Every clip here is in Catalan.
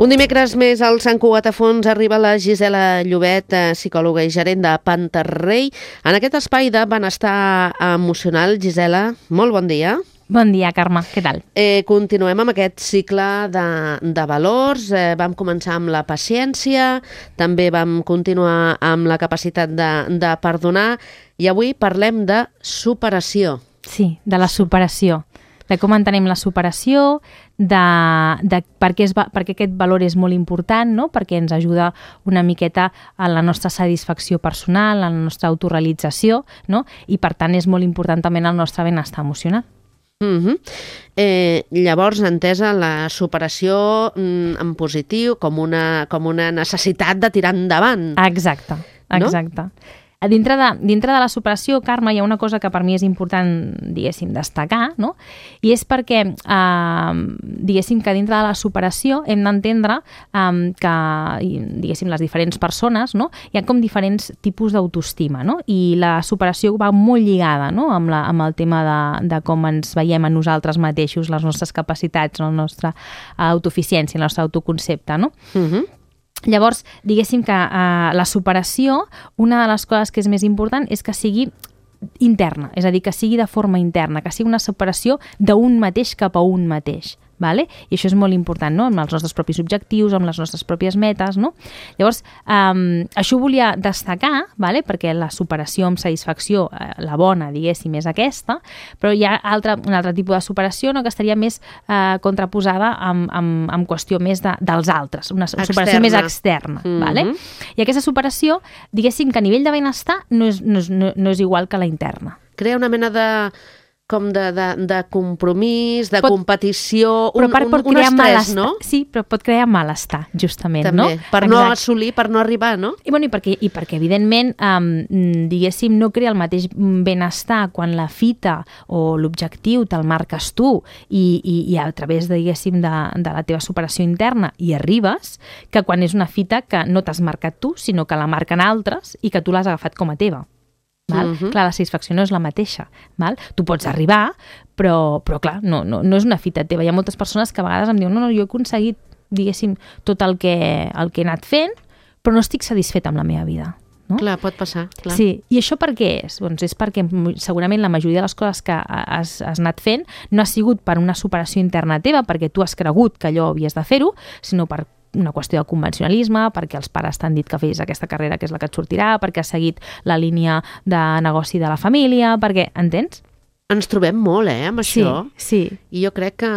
Un dimecres més al Sant Cugat a Fons arriba la Gisela Llobet, psicòloga i gerent de Panterrey. En aquest espai de benestar emocional, Gisela, molt bon dia. Bon dia, Carme. Què tal? Continuem amb aquest cicle de valors. Vam començar amb la paciència, també vam continuar amb la capacitat de perdonar i avui parlem de superació. Sí, de la superació. De com entenem la superació, de per què aquest valor és molt important, no? Perquè ens ajuda una miqueta a la nostra satisfacció personal, a la nostra autorealització, no? I per tant és molt important també en el nostre benestar emocional. Llavors, entesa la superació en positiu com una necessitat de tirar endavant. Exacte, exacte. No? Dintre de la superació, Carme, hi ha una cosa que per mi és important, diguéssim, destacar, no? I és perquè, diguéssim, que dintre de la superació hem d'entendre que, diguéssim, les diferents persones, no? Hi ha com diferents tipus d'autoestima, no? I la superació va molt lligada, no? amb el tema de com ens veiem a nosaltres mateixos, les nostres capacitats, la nostra autoeficiència, el nostre autoconcepte, no? Llavors, diguéssim que la superació, una de les coses que és més important és que sigui interna, és a dir, que sigui de forma interna, que sigui una superació d'un mateix cap a un mateix. Vale? I això és molt important, no? Amb els nostres propis objectius, amb les nostres pròpies metes, no? Llavors, això ho volia destacar, vale? Perquè la superació amb satisfacció, la bona, diguéssim, és aquesta, però hi ha un altre tipus de superació, no? Que estaria més contraposada amb qüestió més dels altres, una superació més externa. Vale? I aquesta superació, diguéssim que a nivell de benestar no és igual que la interna. Crea una mena de compromís, de competició, un estrès, no? Sí, però pot crear malestar, justament, també, no? Per no assolir, per no arribar, no? I perquè evidentment, diguéssim, no crea el mateix benestar quan la fita o l'objectiu te'l marques tu i a través, diguéssim, de la teva superació interna hi arribes, que quan és una fita que no t'has marcat tu, sinó que la marquen altres i que tu l'has agafat com a teva. Clar, la satisfacció no és la mateixa. Val? Tu pots arribar, però clar, no és una fita teva. Hi ha moltes persones que a vegades em diuen no, jo he aconseguit, diguéssim, tot el que he anat fent, però no estic satisfeta amb la meva vida. No? Clar, pot passar. Clar. Sí, i això per què és? Doncs és perquè segurament la majoria de les coses que has anat fent no ha sigut per una superació interna teva, perquè tu has cregut que allò havies de fer-ho, sinó per una qüestió de convencionalisme, perquè els pares t'han dit que fes aquesta carrera que és la que et sortirà, perquè has seguit la línia de negoci de la família, perquè, entens? Ens trobem molt, amb això. Sí. I jo crec que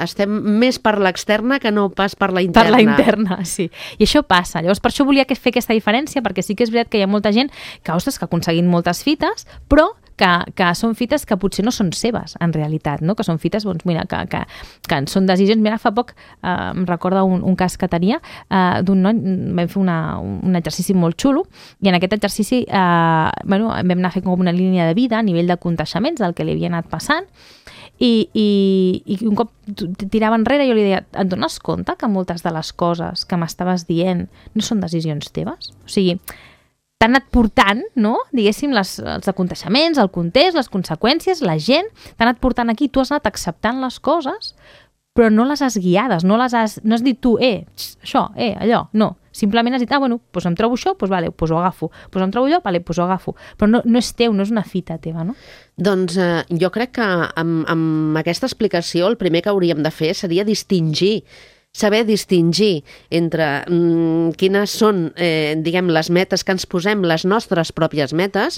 estem més per l'externa que no pas per la interna. Per la interna, sí. I això passa. Llavors, per això volia fer aquesta diferència, perquè sí que és veritat que hi ha molta gent que, ostres, que ha aconseguit moltes fites, però que són fites que potser no són seves, en realitat, no? Que són fites, doncs, mira, que són decisions. Mira, fa poc em recorda un cas que tenia d'un noi, vam fer un exercici molt xulo, i en aquest exercici vam anar a fer com una línia de vida a nivell de contaixements del que li havia anat passant, i un cop tirava enrere jo li deia, et dones compte que moltes de les coses que m'estaves dient no són decisions teves? O sigui, t'han anat portant, no? Diguéssim, els aconteixements, el context, les conseqüències, la gent, t'han anat portant aquí, tu has anat acceptant les coses, però no les has guiades, no has dit tu, això, allò, no. Simplement has dit, bueno, doncs em trobo això, doncs vale, doncs ho agafo. Doncs em trobo allò, vale, doncs ho agafo. Però no és teu, no és una fita teva, no? Doncs jo crec que amb aquesta explicació el primer que hauríem de fer seria saber distingir entre quines són, diguem, les metes que ens posem, les nostres pròpies metes,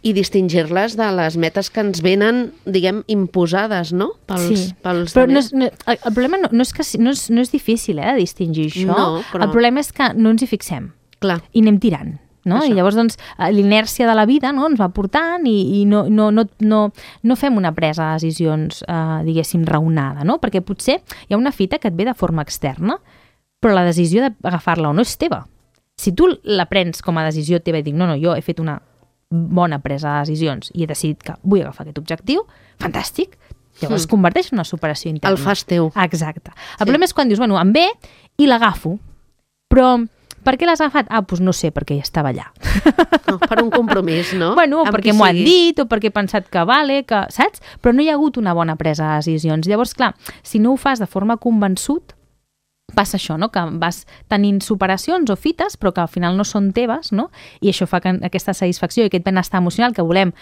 i distingir-les de les metes que ens venen, diguem, imposades, no? Pels però el problema no és difícil, de distingir això. No, però... El problema és que no ens hi fixem. Clar. I anem tirant. No? I llavors doncs, l'inèrcia de la vida, no? Ens va portant i no fem una presa de decisions, diguéssim, raonada, no? Perquè potser hi ha una fita que et ve de forma externa, però la decisió d'agafar-la o no és teva. Si tu la prens com a decisió teva i dic, no, jo he fet una bona presa de decisions i he decidit que vull agafar aquest objectiu, fantàstic, llavors es converteix en una superació interna. El fas teu. Exacte. El problema és quan dius, em ve i l'agafo, però per què l'has agafat? Doncs no sé, perquè ja estava allà. No, per un compromís, no? Bueno, perquè m'ho han dit, o perquè he pensat que vale, saps? Però no hi ha hagut una bona presa de decisions. Llavors, clar, si no ho fas de forma convençut, passa això, no? Que vas tenint superacions o fites, però que al final no són teves, no? I això fa que aquesta satisfacció i aquest benestar emocional que volem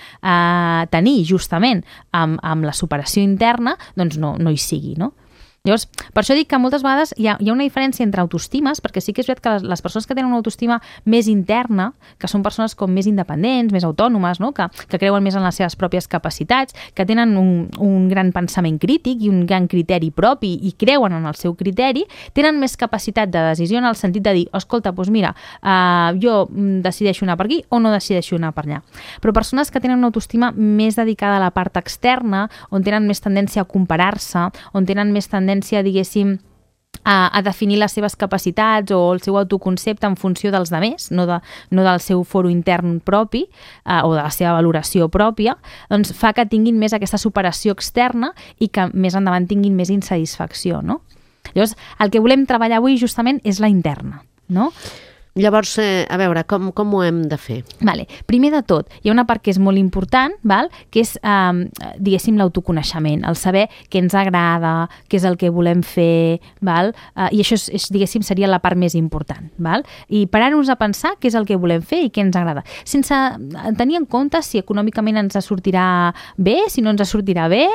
tenir justament amb la superació interna, doncs no hi sigui, no? Llavors, per això dic que moltes vegades hi ha una diferència entre autoestimes, perquè sí que és veritat que les persones que tenen una autoestima més interna, que són persones com més independents, més autònomes, no? que creuen més en les seves pròpies capacitats, que tenen un gran pensament crític i un gran criteri propi i creuen en el seu criteri, tenen més capacitat de decisió en el sentit de dir, escolta, doncs mira, jo decideixo anar per aquí o no decideixo anar per allà. Però persones que tenen una autoestima més dedicada a la part externa, on tenen més tendència a comparar-se, on tenen més tendència, diguéssim, a definir les seves capacitats o el seu autoconcepte en funció dels demés, no del seu foro intern propi o de la seva valoració pròpia, doncs fa que tinguin més aquesta superació externa i que més endavant tinguin més insatisfacció, no? Llavors, el que volem treballar avui justament és la interna, no? Llavors, a veure, com ho hem de fer? Vale. Primer de tot, hi ha una part que és molt important, que és, diguéssim, l'autoconeixement, el saber què ens agrada, què és el que volem fer, i això, diguéssim, seria la part més important. I parar-nos a pensar què és el que volem fer i què ens agrada, sense tenir en compte si econòmicament ens sortirà bé, si no ens sortirà bé,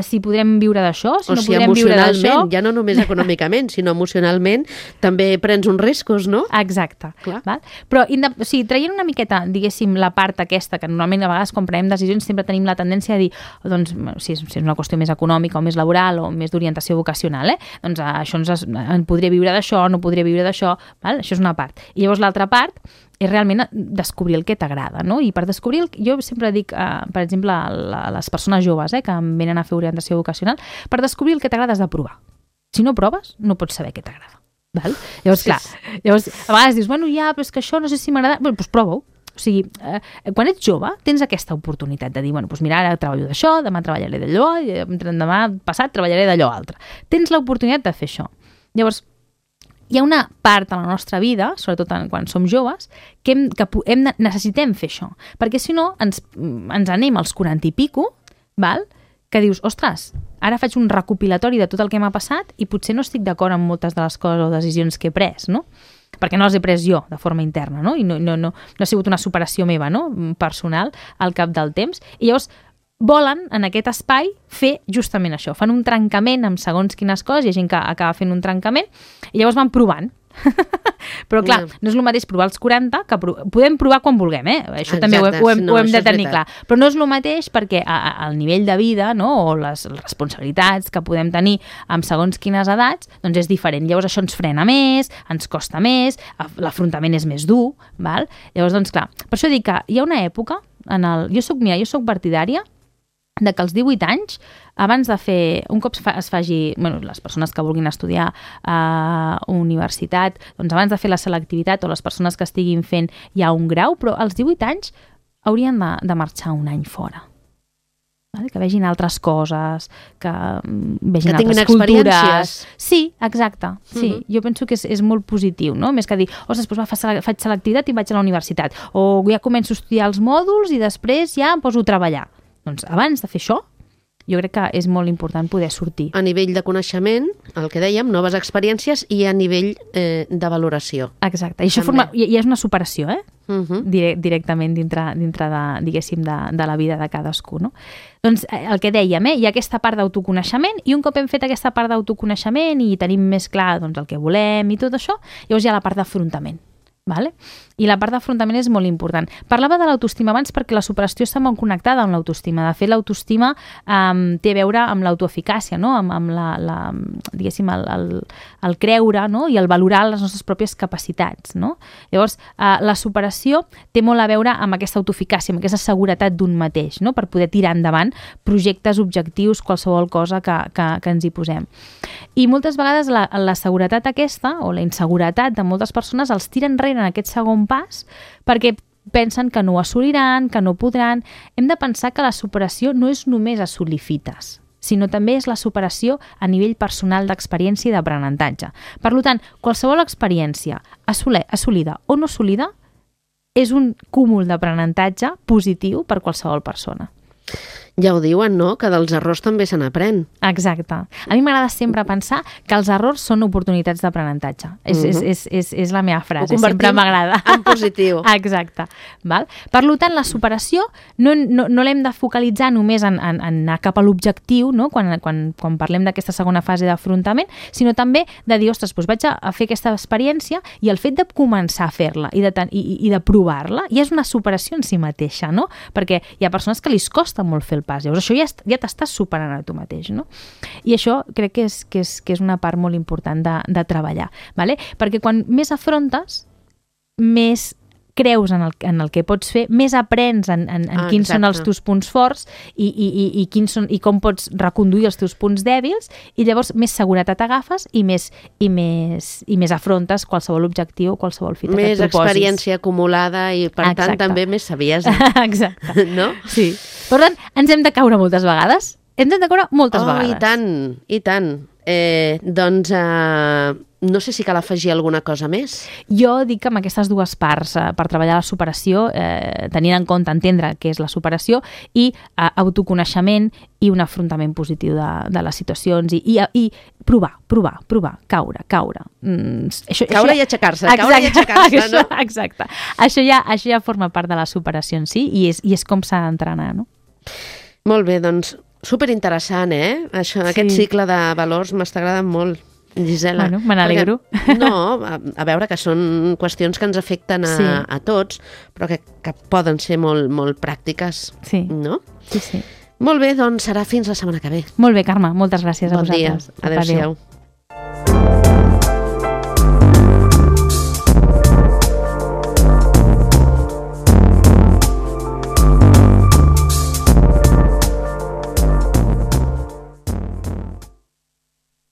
si podrem viure d'això, si no podrem viure d'això. Ja no només econòmicament, sinó emocionalment, també prens uns riscos, no? Exacte. Val? Però traient una miqueta, diguéssim, la part aquesta, que normalment a vegades quan prenem decisions sempre tenim la tendència a dir, doncs, si és una qüestió més econòmica o més laboral o més d'orientació vocacional, doncs això en podré viure d'això, no podré viure d'això, això és una part. I llavors l'altra part és realment descobrir el que t'agrada, no? I per descobrir, jo sempre dic, per exemple, a les persones joves que venen a fer orientació vocacional, per descobrir el que t'agrada has de provar. Si no proves, no pots saber què t'agrada. Llavors, clar, a vegades dius, bueno, ja, però és que això no sé si m'agrada. Bé, doncs prova-ho. O sigui, quan ets jove, tens aquesta oportunitat de dir, bueno, doncs mira, ara treballo d'això, demà treballaré d'allò, demà passat treballaré d'allò altre. Tens l'oportunitat de fer això. Llavors, hi ha una part a la nostra vida, sobretot quan som joves, que necessitem fer això. Perquè si no, ens anem als 40 i pico, que dius, ostres, ara faig un recopilatori de tot el que m'ha passat i potser no estic d'acord amb moltes de les coses o decisions que he pres, no? Perquè no les he pres jo de forma interna, no? I no ha sigut una superació meva, no? Personal, al cap del temps. I llavors volen, en aquest espai, fer justament això. Fan un trencament amb segons quines coses, hi ha gent que acaba fent un trencament, i llavors van provant. Però clar, no és el mateix provar als 40 que podem provar quan vulguem, això també ho hem de tenir clar, però no és el mateix perquè el nivell de vida, no, o les responsabilitats que podem tenir amb segons quines edats, doncs és diferent. Llavors això ens frena més, ens costa més, l'afrontament és més dur, llavors doncs clar, per això dic que hi ha una època jo soc partidària de que als 18 anys, abans de fer, un cop es faci, les persones que vulguin estudiar a universitat, doncs abans de fer la selectivitat o les persones que estiguin fent ja un grau, però als 18 anys haurien de marxar un any fora. Que vegin altres coses, que vegin altres cultures. Sí, exacte. Sí. Jo penso que és molt positiu, no? Més que dir, ostres, doncs faig selectivitat i vaig a la universitat. O ja començo a estudiar els mòduls i després ja em poso a treballar. Doncs abans de fer això, jo crec que és molt important poder sortir. A nivell de coneixement, el que dèiem, noves experiències, i a nivell de valoració. Exacte. I això ja és una superació, directament dintre de, diguéssim, de la vida de cadascú, no? Doncs el que dèiem, hi ha aquesta part d'autoconeixement, i un cop hem fet aquesta part d'autoconeixement i tenim més clar doncs, el que volem i tot això, llavors hi ha la part d'afrontament. I la part d'afrontament és molt important. Parlava de l'autoestima abans perquè la superació està molt connectada amb l'autoestima. De fet, l'autoestima té a veure amb l'autoeficàcia, no? amb diguéssim, el creure, no? I el valorar les nostres pròpies capacitats. No? Llavors, la superació té molt a veure amb aquesta autoeficàcia, amb aquesta seguretat d'un mateix, no? Per poder tirar endavant projectes, objectius, qualsevol cosa que ens hi posem. I moltes vegades la seguretat aquesta, o la inseguretat de moltes persones, els tira enrere en aquest segon pas perquè pensen que no ho assoliran, que no podran. Hem de pensar que la superació no és només assolir fites, sinó també és la superació a nivell personal d'experiència i d'aprenentatge. Per tant, qualsevol experiència assolida o no assolida és un cúmul d'aprenentatge positiu per qualsevol persona. Ja ho diuen, no?, que dels errors també se n'aprèn. Exacte. A mi m'agrada sempre pensar que els errors són oportunitats d'aprenentatge. És la meva frase, sempre m'agrada. En positiu. Exacte. Val? Per tant, la superació no l'hem de focalitzar només en anar cap a l'objectiu, no?, quan parlem d'aquesta segona fase d'afrontament, sinó també de dir, ostres, doncs vaig a fer aquesta experiència i el fet de començar a fer-la i de provar-la ja és una superació en si mateixa, no? Perquè hi ha persones que li costa molt fer el pas. Llavors, això ja t'estàs superant a tu mateix, no? I això crec que és una part molt important de treballar, vale? Perquè quan més afrontes, més creus en el que pots fer, més aprens en quins són els teus punts forts i com pots reconduir els teus punts dèbils, i llavors més seguretat agafes i més afrontes qualsevol objectiu o qualsevol fita que et proposis. Més experiència acumulada i, per tant, també més saviesa. Exacte. No? Sí. Per tant, ens hem de caure moltes vegades. Ens hem de caure moltes vegades. I tant. Doncs no sé si cal afegir alguna cosa més. Jo dic que amb aquestes dues parts, per treballar la superació, tenint en compte entendre què és la superació i autoconeixement i un afrontament positiu de les situacions i provar, caure. Caure i aixecar-se, no? Exacte. Això ja forma part de la superació en si i és com s'ha d'entrenar, no? Molt bé, doncs superinteressant, Aquest cicle de valors m'està agradant molt, Gisela. Bueno, me n'alegro. No, a veure, que són qüestions que ens afecten a tots, però que poden ser molt, molt pràctiques, no? Sí. Molt bé, doncs serà fins la setmana que ve. Molt bé, Carme, moltes gràcies a vosaltres. Bon dia, adéu-siau.